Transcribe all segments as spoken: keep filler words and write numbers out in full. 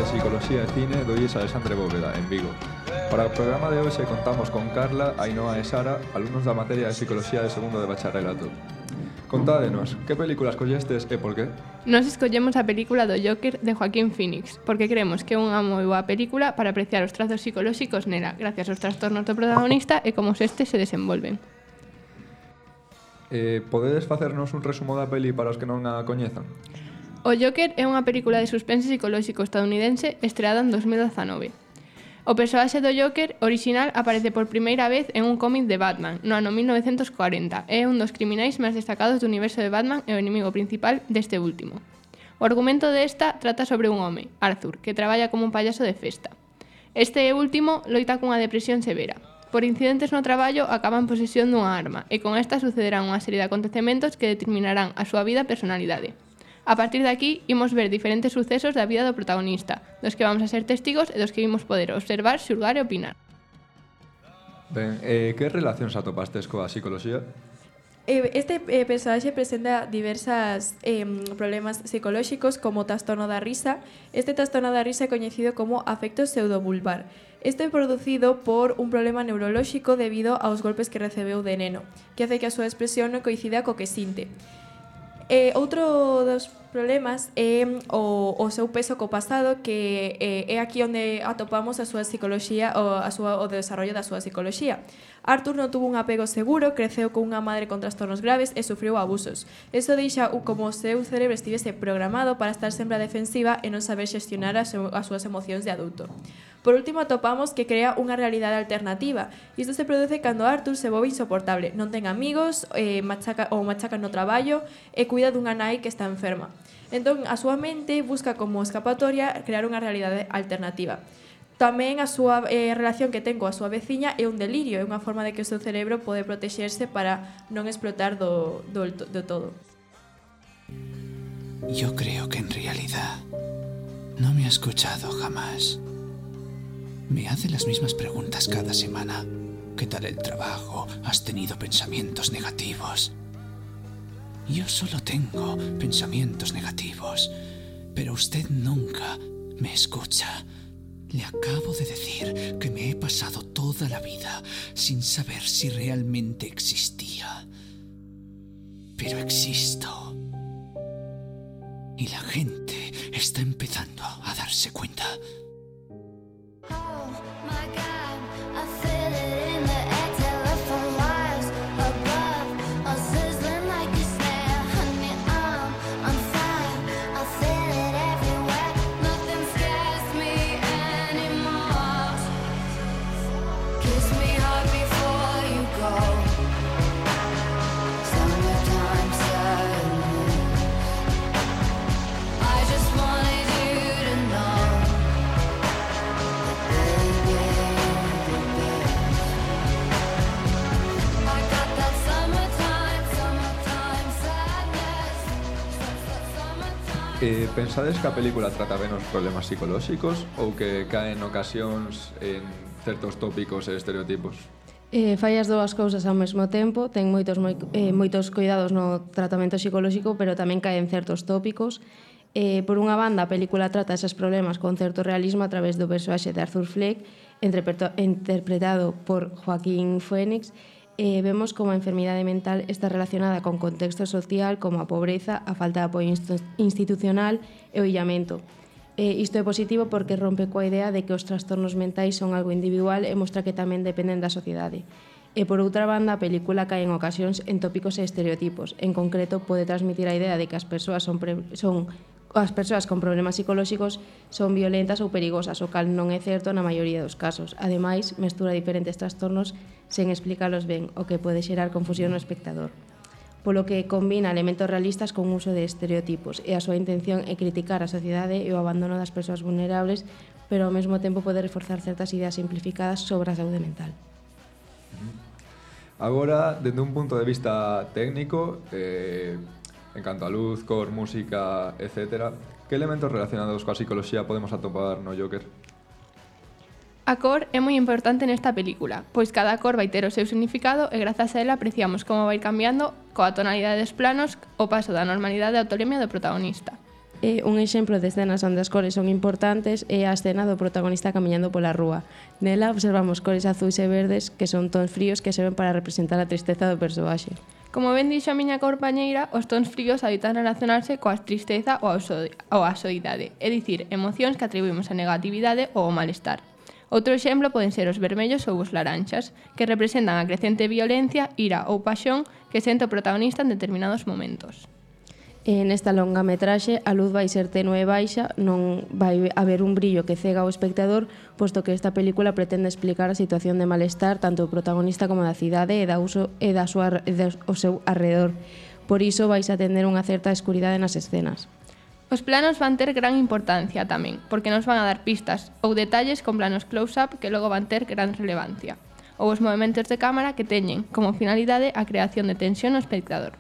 de Psicología e Cine do I E S Alexandre Bóveda, en Vigo. Para o programa de hoxe contamos con Carla, Ainhoa e Sara, alumnos da materia de Psicología de segundo de bacharelato. Contádenos, que película escollestes e por qué? Nos escollemos a película do Joker de Joaquín Phoenix, porque creemos que é unha moi boa película para apreciar os trazos psicolóxicos nela, gracias aos trastornos do protagonista e como estes se desenvolven. Eh, podedes facernos un resumo da peli para os que non a coñezan? O Joker é unha película de suspense psicolóxico estadounidense estreada en dos mil dezanove. O persoaxe do Joker original aparece por primeira vez en un cómic de Batman no ano mil novecentos cuarenta e é un dos criminais máis destacados do universo de Batman e o inimigo principal deste último. O argumento desta trata sobre un home, Arthur, que traballa como un payaso de festa. Este último loita cunha depresión severa. Por incidentes no traballo acaba en posesión dunha arma e con esta sucederán unha serie de acontecementos que determinarán a súa vida e personalidade. A partir de aquí, imos ver diferentes sucesos da vida do protagonista, dos que vamos a ser testigos e dos que imos poder observar, xulgar e opinar. Ben, eh, que relacións atopastes coa psicoloxía? Este eh, personaxe presenta diversos eh, problemas psicolóxicos como trastorno da risa. Este trastorno da risa é coñecido como afecto pseudovulvar. Este é producido por un problema neurolóxico debido aos golpes que recebeu de neno, que hace que a súa expresión non coincida co que sinte. Eh, outro dos problemas é o, o seu peso co pasado, que eh, é aquí onde atopamos a súa psicoloxía o, a súa, o desarrollo da súa psicoloxía. Arthur non tuvo un apego seguro, creceu con unha madre con trastornos graves e sufriu abusos. Iso deixa como o seu cerebro estivese programado para estar sempre a defensiva e non saber xestionar as, as súas emocións de adulto. Por último, atopamos que crea unha realidade alternativa. Isto se produce cando Arthur se volve insoportable, non ten amigos, eh, machaca, ou machaca no traballo e cuida dunha nai que está enferma. Entón, a súa mente busca como escapatoria crear unha realidade alternativa. Tamén a súa eh, relación que ten coa súa veciña é un delirio, é unha forma de que o seu cerebro pode protexerse para non explotar do, do, do todo. Yo creo que en realidad no me ha escuchado jamás. Me hace las mismas preguntas cada semana. ¿Qué tal el trabajo? ¿Has tenido pensamientos negativos? Yo solo tengo pensamientos negativos, pero usted nunca me escucha. Le acabo de decir que me he pasado toda la vida sin saber si realmente existía. Pero existo. Y la gente está empezando a darse cuenta. Eh, pensades que a película trata ben os problemas psicolóxicos ou que caen ocasións en certos tópicos e estereotipos? Eh, fai as dúas cousas ao mesmo tempo, ten moitos, moi, eh, moitos cuidados no tratamento psicolóxico, pero tamén caen certos tópicos. Eh, por unha banda, a película trata eses problemas con certo realismo a través do persoaxe de Arthur Fleck, interpretado por Joaquín Phoenix. Eh, vemos como a enfermidade mental está relacionada con contexto social como a pobreza, a falta de apoio institucional e o illamento. Eh, isto é positivo porque rompe coa idea de que os trastornos mentais son algo individual e mostra que tamén dependen da sociedade. E por outra banda, a película cae en ocasións en tópicos e estereotipos. En concreto, pode transmitir a idea de que as persoas son, pre- son as persoas con problemas psicolóxicos son violentas ou perigosas, o cal non é certo na maioría dos casos. Ademais, mestura diferentes trastornos sen explicalos ben, o que pode xerar confusión no espectador. Polo que combina elementos realistas con uso de estereotipos e a súa intención é criticar a sociedade e o abandono das persoas vulnerables, pero ao mesmo tempo pode reforzar certas ideas simplificadas sobre a saúde mental. Agora, dende un punto de vista técnico, eh, en canto a luz, cor, música, etcétera, que elementos relacionados coa psicoloxía podemos atopar no Joker? A cor é moi importante nesta película, pois cada cor vai ter o seu significado e grazas a ela apreciamos como vai cambiando coa tonalidade dos planos o paso da normalidade á autolemia do protagonista. Eh, un exemplo de escenas onde as cores son importantes é a escena do protagonista camiñando pola rúa. Nela observamos cores azuis e verdes que son tons fríos que serven para representar a tristeza do persoaxe. Como ben dixo a miña compañeira, os tons fríos habitan relacionarse coa tristeza ou a soidade, é dicir, emocións que atribuímos a negatividade ou ao malestar. Outro exemplo poden ser os vermellos ou os laranxas, que representan a crecente violencia, ira ou paixón que sente o protagonista en determinados momentos. E nesta longa metraxe a luz vai ser tenue e baixa, non vai haber un brillo que cega ao espectador, posto que esta película pretende explicar a situación de malestar tanto do protagonista como da cidade e da uso e da súa e do seu arredor. Por iso vais a tener unha certa escuridade nas escenas. Os planos van ter gran importancia tamén, porque nos van a dar pistas ou detalles con planos close-up que logo van ter gran relevancia, ou os movementos de cámara que teñen como finalidade a creación de tensión no espectador.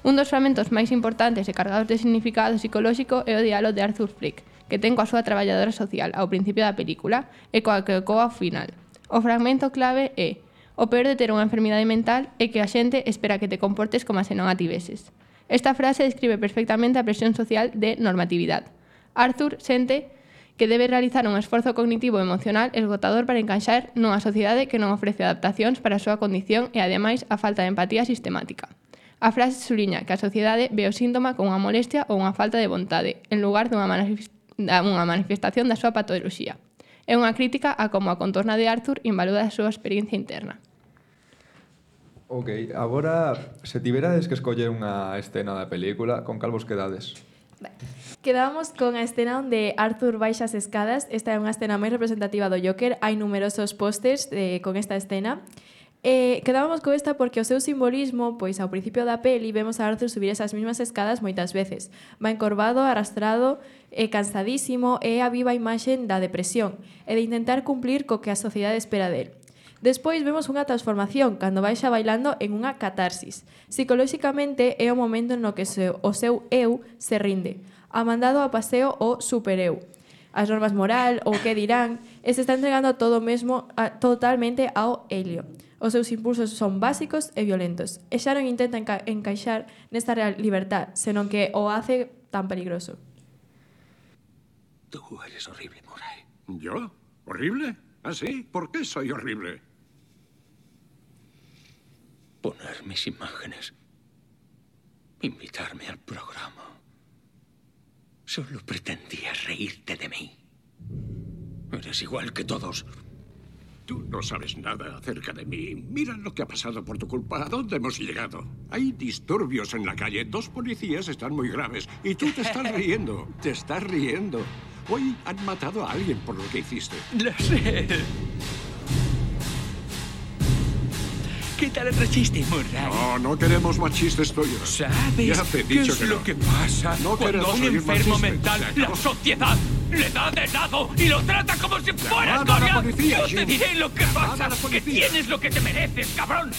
Un dos fragmentos máis importantes e cargados de significado psicolóxico é o diálogo de Arthur Fleck, que ten coa súa traballadora social ao principio da película e coa que ecoa ao final. O fragmento clave é: o peor de ter unha enfermidade mental é que a xente espera que te comportes como se non a tiveses. Esta frase describe perfectamente a presión social de normatividade. Arthur sente que debe realizar un esforzo cognitivo e emocional esgotador para encaixar nunha sociedade que non ofrece adaptacións para a súa condición e, ademais, a falta de empatía sistemática. A frase suliña que a sociedade ve o síntoma como unha molestia ou unha falta de vontade, en lugar dunha manifestación da súa patoloxía. É unha crítica a como a contorna de Arthur invalida a súa experiencia interna. Ok, agora, se tiverades que escoller unha escena da película, con cal vos quedades? Quedábamos con a escena onde Arthur baixa as escadas. Esta é unha escena moi representativa do Joker. Hai numerosos pósters eh, con esta escena. Eh, quedábamos con esta porque o seu simbolismo, pois ao principio da peli vemos a Arthur subir esas mesmas escadas moitas veces. Va encorvado, arrastrado, e cansadísimo, e a viva imaxe da depresión e de intentar cumplir co que a sociedade espera del. Despois vemos unha transformación cando baixa bailando en unha catarsis. Psicolóxicamente é o momento no que se, o seu eu se rinde, a mandado a paseo o supereu, as normas moral ou que dirán, e se está entregando todo mesmo a, totalmente ao helio. Os seus impulsos son básicos e violentos, e xa non intenta enca encaixar nesta real libertad, senón que o hace tan peligroso. Tú eres horrible, Murray. ¿Yo? ¿Horrible? ¿Ah, sí? ¿Por qué soy horrible? Poner mis imágenes, invitarme al programa. Solo pretendías reírte de mí. Eres igual que todos. Tú no sabes nada acerca de mí. Mira lo que ha pasado por tu culpa. ¿A dónde hemos llegado? Hay disturbios en la calle. Dos policías están muy graves. Y tú te estás riendo. Te estás riendo. Hoy han matado a alguien por lo que hiciste. Lo sé. ¿Qué tal otro chiste, Murray? No, no queremos más chistes tuyos. ¿Sabes Ya te he qué dicho es que lo no. que pasa No cuando queremos a un oír más enfermo chistes. mental Se la acabó. sociedad le da de lado y lo trata como si fuera Llamad a la escoria? policía, Yo te Jim. diré lo que Llamad a pasa, la que policía. tienes lo que te mereces, cabrón.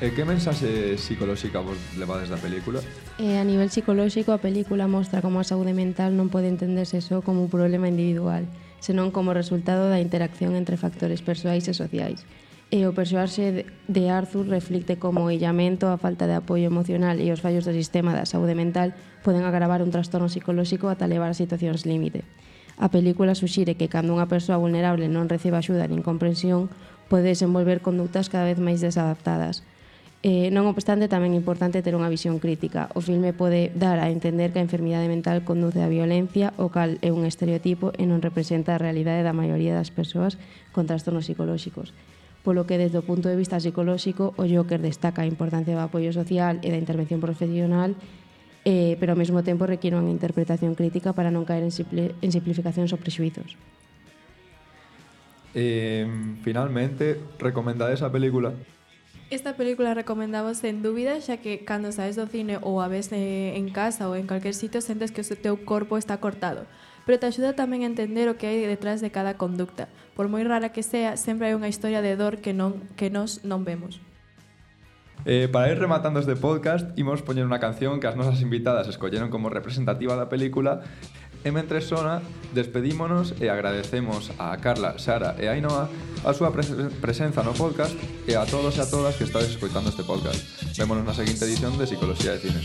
E que mensaxe psicolóxica vos levades da película? E a nivel psicolóxico, a película mostra como a saúde mental non pode entenderse só como un problema individual, senón como resultado da interacción entre factores persoais e sociais. E o persoaxe de Arthur reflicte como o illamento, a falta de apoio emocional e os fallos do sistema da saúde mental poden agravar un trastorno psicolóxico ata levar a situacións límite. A película suxire que cando unha persoa vulnerable non recebe axuda nin comprensión, pode desenvolver conductas cada vez máis desadaptadas. Eh, non obstante, tamén é importante ter unha visión crítica. O filme pode dar a entender que a enfermidade mental conduce á violencia, o cal é un estereotipo e non representa a realidade da maioría das persoas con trastornos psicolóxicos. Polo que, desde o punto de vista psicolóxico, o Joker destaca a importancia do apoio social e da intervención profesional, eh, pero ao mesmo tempo requiere unha interpretación crítica para non caer en, simple, en simplificacións ou prexuizos. Eh, finalmente, recomendade esa película? Esta película recomendamos sen dúbida, xa que cando saes do cine ou a ves eh, en casa ou en calquer sitio sentes que o teu corpo está cortado. Pero te axuda tamén a entender o que hai detrás de cada conducta. Por moi rara que sea, sempre hai unha historia de dor que non que nós non vemos. Eh, para ir rematando este podcast, imos poñer unha canción que as nosas invitadas escolleron como representativa da película. E mentre sona, despedímonos e agradecemos a Carla, Sara e Ainhoa a súa pres presenza no podcast e a todos e a todas que estades escoitando este podcast. Vémonos na seguinte edición de Psicoloxía de Cine.